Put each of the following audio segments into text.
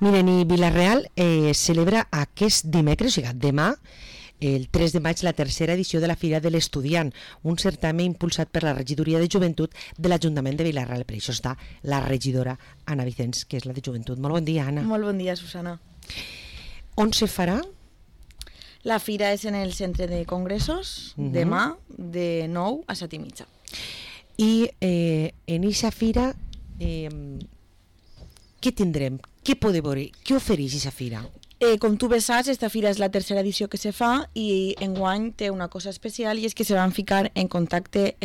Miren, i Vila-real celebra aquest dimecres, o sigui, demà, el 3 de maig, la tercera edició de la Fira de l'Estudiant, un certamen impulsat per la Regidoria de Joventut de l'Ajuntament de Vila-real. Per això està la regidora Anna Vicens, que és la de Joventut. Molt bon dia, Anna. Molt bon dia, Susana. On se farà? La fira és en el centre de congressos, demà, de 9 a 7:30. I en aquesta fira, què tindrem? Què podem veure? Què ofereix aquesta fira? Com tu bé saps, esta fira és la tercera edició que se fa i enguany té una cosa especial i és que se van ficar en contacte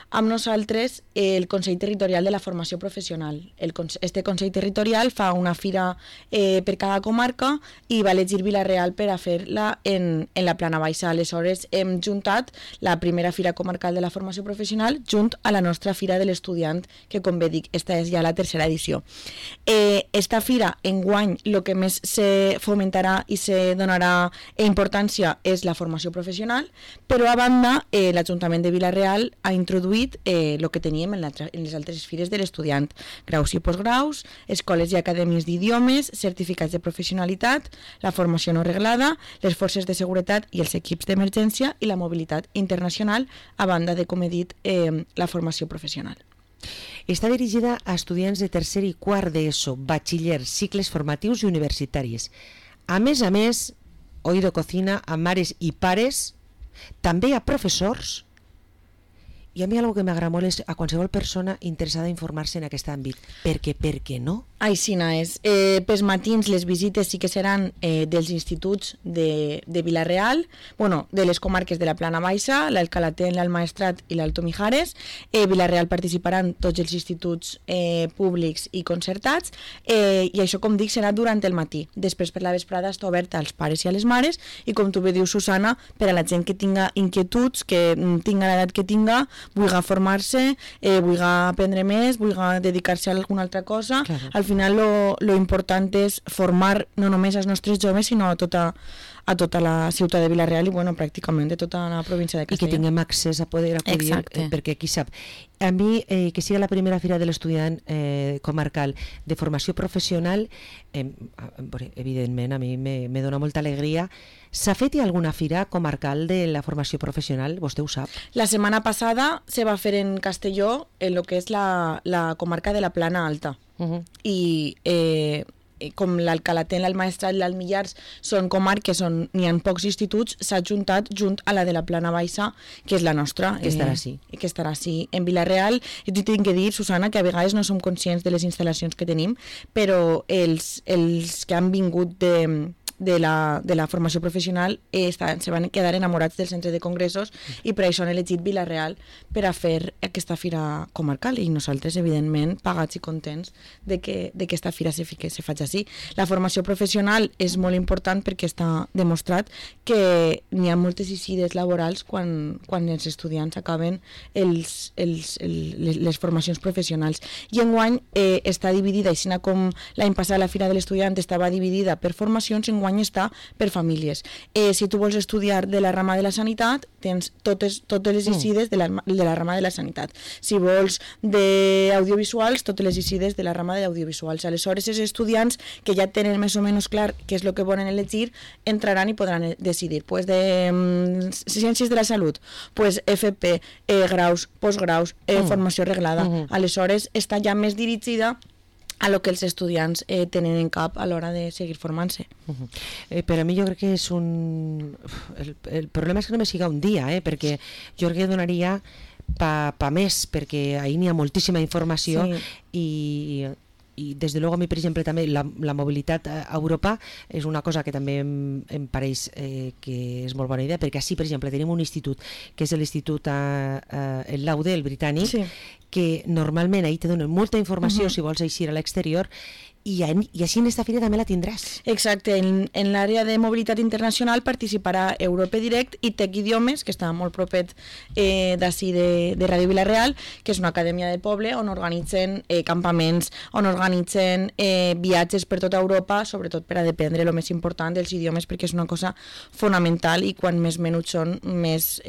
amb nosaltres el Consell Territorial de la Formació Professional. Este Consell Territorial fa una fira per cada comarca i va elegir Vila-real per a fer-la en la Plana Baixa. Aleshores hem juntat la primera fira comarcal de la formació professional junt a la nostra fira de l'estudiant, que com bé dic, esta és ja la tercera edició. Esta fira enguany el que més se fomentarà i se donarà importància és la formació professional, però a banda l'Ajuntament de Vila-real ha introduït el que teníem en les altres fires de l'estudiant: graus i postgraus, escoles i acadèmies d'idiomes, certificats de professionalitat, la formació no reglada, les forces de seguretat i els equips d'emergència i la mobilitat internacional, a banda de, com he dit, la formació professional. Està dirigida a estudiants de tercer i quart d'ESO, batxiller, cicles formatius i universitaris. A més, oïdo cocina a mares i pares, també a professors, i a mi una cosa que m'agrada molt és a qualsevol persona interessada a informar-se en aquest àmbit. Per què no? Aixina és. Pels matins les visites sí que seran dels instituts de Vila-real, de les comarques de la Plana Baixa, l'Alcalatén, l'Almaestrat i l'Alto Mijares. Vila-real participaran tots els instituts públics i concertats, i això, com dic, serà durant el matí. Després, per la vesprada, està oberta als pares i a les mares, i com tu bé dius, Susana, per a la gent que tinga inquietuds, que tinga l'edat que tinga, vulgui formar-se, vulgui aprendre més, vulgui dedicar-se a alguna altra cosa. Claro. Al final lo important és formar no només als nostres joves, sinó a tota la ciutat de Vila-real i pràcticament de tota la província de Castelló. I que tinguem accés a poder acudir, perquè qui sap. A mi, que siga la primera fira de l'estudiant comarcal de formació professional, evidentment a mi me dona molta alegria. S'ha fet alguna fira comarcal de la formació professional? Vostè ho sap? La setmana passada se va fer en Castelló, en el que és la comarca de la Plana Alta. I com l'Alcalatén, l'Almaestrat i l'Almillars són comarques on n'hi ha pocs instituts, s'ha juntat junt a la de la Plana Baixa, que és la nostra, que estarà sí. Que estarà sí en Vila-real. I t'ho tinc que dir, Susana, que a vegades no som conscients de les instal·lacions que tenim, però els que han vingut de la formació professional se van quedar enamorats del centre de congressos i per això han elegit Vila-real per a fer aquesta fira comarcal, i nosaltres, evidentment, pagats i contents de que aquesta fira se faci així. La formació professional és molt important perquè està demostrat que n'hi ha moltes eixides laborals quan els estudiants acaben les formacions professionals. I enguany està dividida, així com l'any passat la fira de l'estudiant estava dividida per formacions, enguany està per famílies. Si tu vols estudiar de la rama de la sanitat, tens totes les eixides de la rama de la sanitat. Si vols d'audiovisuals, totes les eixides de la rama d'audiovisuals. Aleshores, els estudiants que ja tenen més o menys clar què és el que volen elegir, entraran i podran decidir. Pues de ciències de la salut, pues FP, graus, postgraus, formació reglada. Aleshores, està ja més dirigida a lo que els estudiants tenen en cap a l'hora de seguir formant-se. Per a mi jo crec que és el problema és que només siga un dia, perquè jo crec que donaria pa més, perquè ahir n'hi ha moltíssima informació, sí. I des de luego a mi, per exemple, també la mobilitat a Europa és una cosa que també em pareix que és molt bona idea, perquè així, per exemple, tenim un institut que és l'Institut el Laude, el britànic, sí. Que normalment ahir te donen molta informació si vols eixir a l'exterior, i així en esta fira també la tindràs. Exacte, en l'àrea de mobilitat internacional participarà Europe Direct i Tec Idiomes, que està molt propet d'ací de Ràdio Vila-real, que és una acadèmia de poble on organitzen campaments, on organitzen viatges per tota Europa, sobretot per a dependre el més important dels idiomes, perquè és una cosa fonamental, i quan més menuts són, més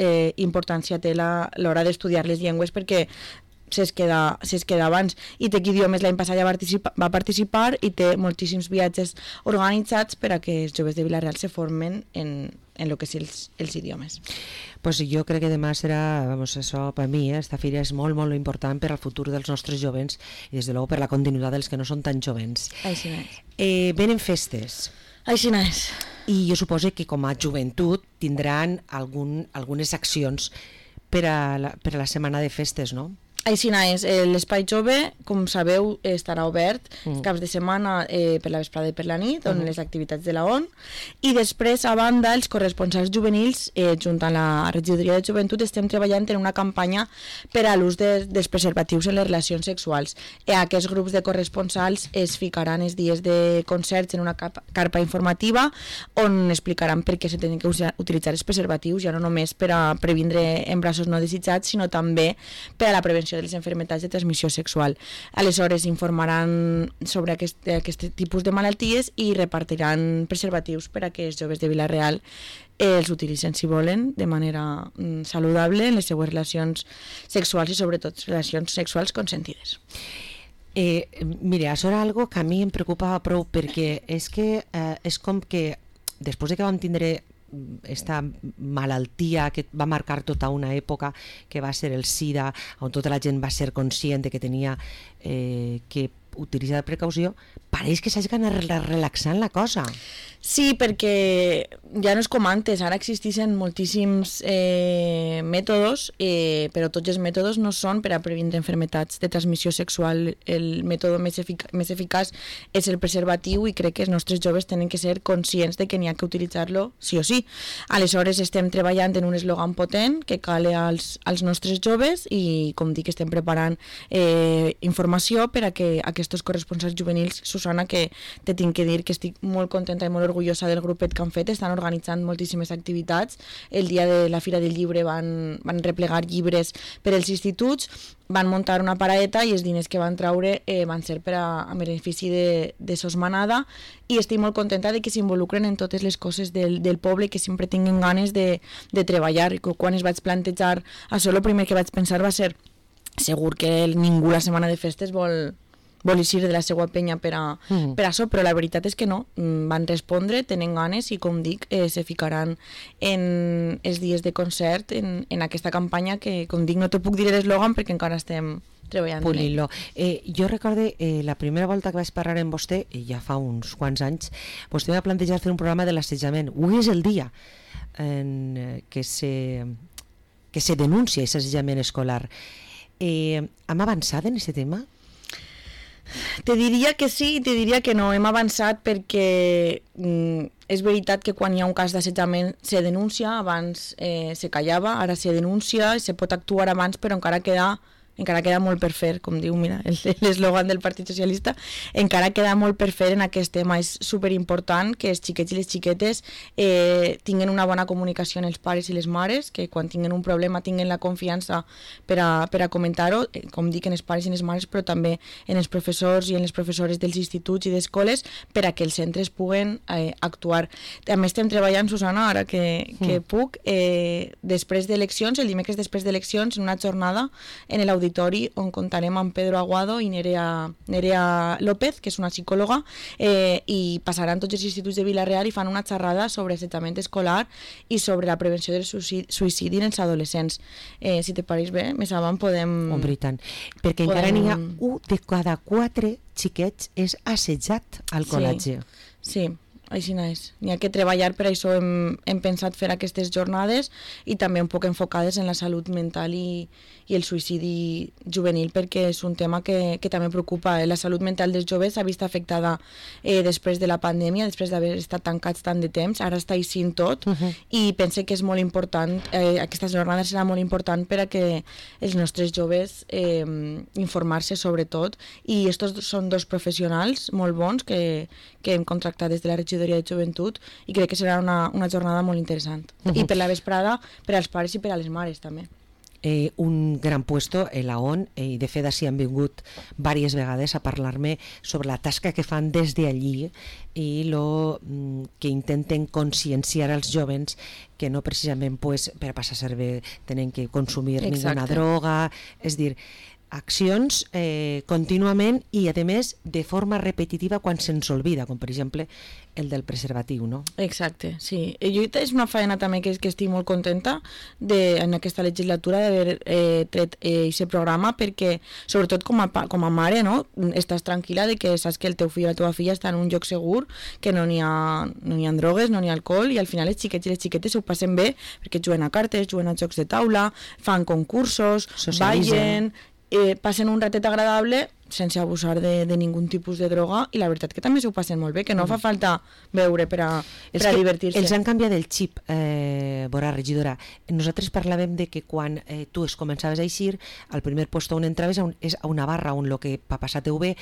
importància té l'hora d'estudiar les llengües, perquè s'es queda abans. I Tec Idiomes l'any passat ja va participar i té moltíssims viatges organitzats per a que els joves de Vila-real se formen en lo que és els idiomes. Pues jo crec que demà serà, això per mi, esta fira és molt, molt important per al futur dels nostres jovens i des de luego per la continuïtat dels que no són tan jovens. Així és. Venen festes. Així és. I jo suposo que com a joventut tindran algunes accions per a la setmana de festes, no? Així és, l'Espai Jove, com sabeu, estarà obert caps de setmana per la vesprada i per la nit, on les activitats de la ON, i després, a banda, els corresponsals juvenils, junt amb la Regidoria de Joventut, estem treballant en una campanya per a l'ús dels preservatius en les relacions sexuals. Aquests grups de corresponsals es ficaran els dies de concerts en una carpa informativa on explicaran per què se tenen que utilitzar els preservatius, ja no només per a previndre embarassos no desitjats, sinó també per a la prevenció de les malalties de transmissió sexual. Aleshores informaran sobre aquest tipus de malalties i repartiran preservatius per a que els joves de Vila-real els utilitzen, si volen, de manera saludable en les seues relacions sexuals i sobretot relacions sexuals consentides. Mira, això era algo que a mi em preocupa prou, perquè és que és com que després de que vam tindre esta malaltia que va marcar tota una època, que va ser el SIDA, on tota la gent va ser conscient de que tenia que utilitzar precaució, pareix que s'hagi anat relaxant la cosa. Sí, perquè ja no és com antes, ara existeixen moltíssims mètodes, però tots els mètodes no són per a previndre malalties de transmissió sexual. El mètode més eficaç és el preservatiu i crec que els nostres joves tenen que ser conscients de que n'hi ha que utilitzar-lo sí o sí. Aleshores estem treballant en un eslògan potent que cale als nostres joves i, com dic, estem preparant informació per a que aquests corresponsals juvenils, Susana, que te tinc que dir que estic molt contenta i molt orgullosa del grupet que han fet, estan organitzant moltíssimes activitats. El dia de la Fira del Llibre van replegar llibres per als instituts, van muntar una paraeta i els diners que van treure van ser a benefici de Sos Manada, i estic molt contenta de que s'involucren en totes les coses del poble, que sempre tinguin ganes de treballar. I quan es vaig plantejar això, el primer que vaig pensar va ser segur que ningú la setmana de festes vol eixir de la seva penya per això, però la veritat és que no, van respondre, tenen ganes i, com dic, se ficaran en els dies de concert en aquesta campanya que, com dic, no te puc dir l'eslògan perquè encara estem treballant. Pulint-lo. Jo recorde la primera volta que vaig parlar amb vostè, ja fa uns quants anys, vostè va plantejar fer un programa de l'assetjament. Avui és el dia en que se denuncia aquest assetjament escolar. Hem avançat en aquest tema? Te diria que sí i te diria que no. Hem avançat perquè és veritat que quan hi ha un cas d'assetjament se denuncia, abans se callava, ara se denuncia, se pot actuar abans, però encara queda molt per fer, com diu, mira, l'eslògan del Partit Socialista, encara queda molt per fer en aquest tema. És superimportant que els xiquets i les xiquetes tinguin una bona comunicació en els pares i les mares, que quan tinguin un problema tinguin la confiança per a comentar-ho, com dic, en els pares i les mares, però també en els professors i en les professores dels instituts i d'escoles, per a que els centres puguen actuar. També estem treballant, Susana, ara que puc, després d'eleccions, el dimecres després d'eleccions, en una jornada en l'auditori on contarem amb Pedro Aguado i Nerea López, que és una psicòloga, i passaran tots els instituts de Vila-real i fan una xerrada sobre assetjament escolar i sobre la prevenció del suïcidi en els adolescents. Si te pareix bé, més avant podem... Home, i tant. Perquè encara n'hi ha 1 de cada 4 xiquets és assetjat al col·legi. Sí. Així és. N'hi ha que treballar, per això hem pensat fer aquestes jornades i també un poc enfocades en la salut mental i el suïcidi juvenil, perquè és un tema que també preocupa. La salut mental dels joves s'ha vist afectada després de la pandèmia, després d'haver estat tancats tant de temps, ara està eixint tot, i pense que és molt important, aquesta jornada serà molt important per a que els nostres joves informar-se sobretot, i estos són 2 professionals molt bons que hem contractat des de la Regidoria de Joventut i crec que serà una jornada molt interessant. I per la vesprada, per als pares i per a les mares també. Un gran puesto en la ON, i de fet així han vingut diverses vegades a parlar-me sobre la tasca que fan des d'allí i lo que intenten conscienciar als jovens que no precisament per passar-se bé tenen que consumir ninguna droga, és dir, accions contínuament i, a més, de forma repetitiva quan se'ns olvida, com per exemple el del preservatiu, no? Exacte, sí. Jo és una feina també que estic molt contenta en aquesta legislatura d'haver tret aquest programa, perquè, sobretot com a mare, no? Estàs tranquil·la de que saps que el teu fill o la teva filla està en un lloc segur, que no n'hi ha drogues, no n'hi ha alcohol, i al final els xiquets i les xiquetes ho passen bé perquè juguen a cartes, juguen a jocs de taula, fan concursos, ballen, passen un ratet agradable sense abusar de ningú tipus de droga, i la veritat que també s'ho passen molt bé, que no fa falta beure per a divertir-se. Els han canviat el xip, Bora, regidora. Nosaltres parlàvem de que quan tu es començaves a eixir, al primer lloc on entraves és a una barra on el que va passar teu bé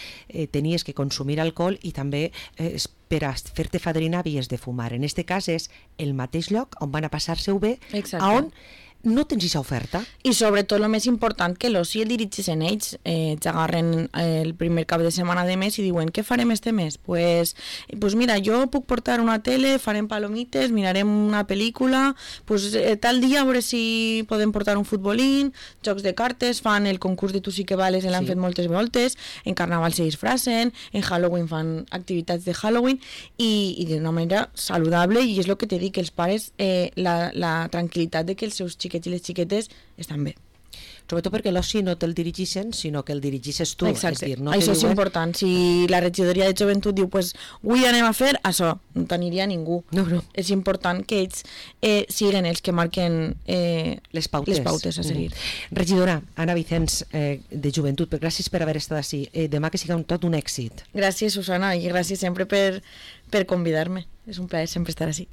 tenies que consumir alcohol, i també per a fer-te fadrina havies de fumar. En aquest cas és el mateix lloc on van a passar-se-ho bé, on no tens aquesta oferta. I sobretot el més important, que l'oci el dirigeixen ells, t'agarren el primer cap de setmana de mes i diuen, què farem este mes? Pues mira, jo puc portar una tele, farem palomites, mirarem una pel·lícula, pues tal dia a veure si podem portar un futbolín, jocs de cartes, fan el concurs de Tu sí que vales, l'han fet moltes voltes, en Carnaval se disfracen, en Halloween fan activitats de Halloween, i d'una manera saludable, i és el que t'he dit, que els pares, la tranquil·litat de que els seus xiquets i les xiquetes estan bé. Sobretot perquè l'oci no te'l dirigeixen, sinó que el dirigeixes tu. Exacte, és dir, no això és important. Si la regidoria de joventut diu, pues, avui anem a fer això, no t'aniria ningú. No. És important que ells siguin els que marquen les pautes a seguir. Regidora Anna Vicens, de Joventut, gràcies per haver estat així. Demà que siga tot un èxit. Gràcies, Susana, i gràcies sempre per convidar-me. És un plaer sempre estar així.